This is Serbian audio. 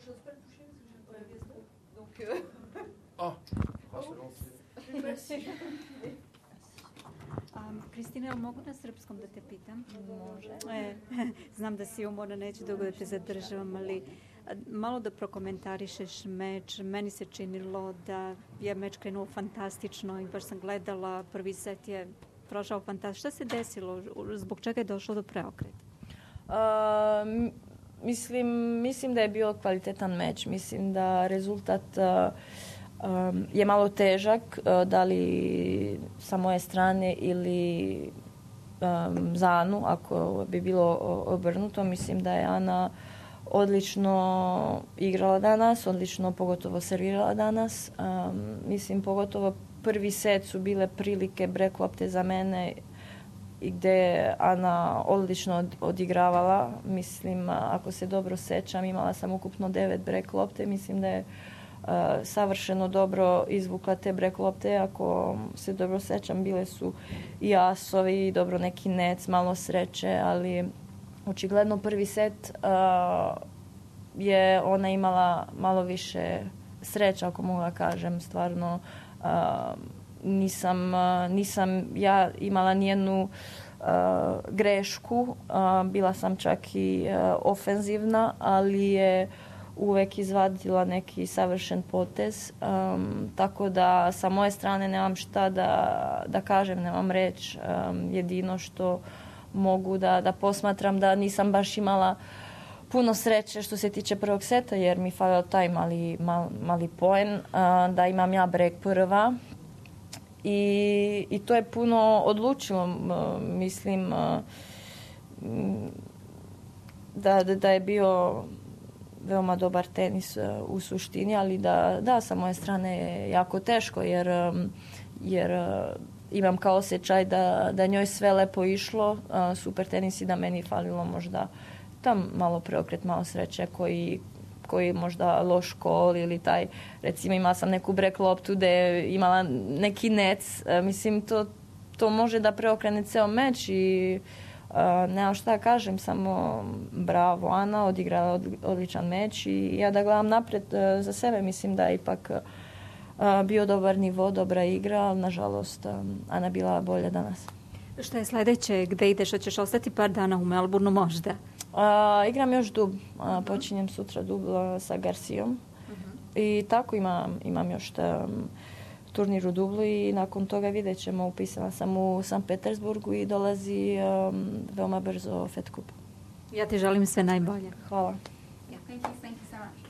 j'ose pas le toucher parce que j'ai un peu la gastro. Donc. Oh, on va se lancer. Merci. Kristina, mogu na srpskom da te pitam? Može. Znam da si umorna, neću dugo da te zadržavam, ali malo da prokomentarišeš meč. Meni se činilo da je meč krenuo fantastično i baš sam gledala, prvi set je prošao fantastično. Šta se desilo? Zbog čega je došlo do preokreta? Mislim da je bio kvalitetan meč. Mislim da rezultat je malo težak, da li sa moje strane ili za Anu, ako bi bilo obrnuto. Mislim da je Ana odlično igrala danas, odlično pogotovo servirala danas. Mislim pogotovo prvi set su bile prilike break lopte za mene i gde je Ana odlično odigravala. Mislim, ako se dobro sećam, imala sam ukupno 9 break lopte. Mislim da je savršeno dobro izvukla te break lopte. Ako se dobro sećam, bile su i asovi, dobro neki nec, malo sreće, ali očigledno prvi set je ona imala malo više sreća, ako mogu da kažem. Stvarno nisam ja imala nijednu grešku, bila sam čak i ofenzivna, ali je uvek izvadila neki savršen potez, tako da sa moje strane nemam šta da kažem, nemam reč. Jedino što mogu da posmatram da nisam baš imala puno sreće što se tiče prvog seta, jer mi falio taj mali poen, da imam ja break prva i to je puno odlučilo. Mislim da je bio veoma dobar tenis u suštini, ali da sa moje strane je jako teško, jer imam kao osjećaj da njoj sve lepo išlo, super tenis, i da meni falilo možda tam malo preokret, malo sreće koji možda loš kol ili taj, recimo imala sam neku break loptu gde je imala neki nec, mislim to može da preokrene ceo meč i nemam šta da kažem, samo bravo Ana, odigrala odličan meč i ja da gledam napred za sebe, mislim da je ipak bio dobar nivo, dobra igra, ali nažalost Ana bila bolja danas. Šta je sledeće? Gde ideš? Hoćeš ostati par dana u Melbourneu možda? Igram još dub. Počinjem sutra dub sa Garcijom. I tako imam još turnir u Dublu i nakon toga vidjet ćemo. Upisana sam u Sankt Petersburgu i dolazi veoma brzo Fed Cup. Ja ti želim sve najbolje. Hvala. Yeah, thank you so much.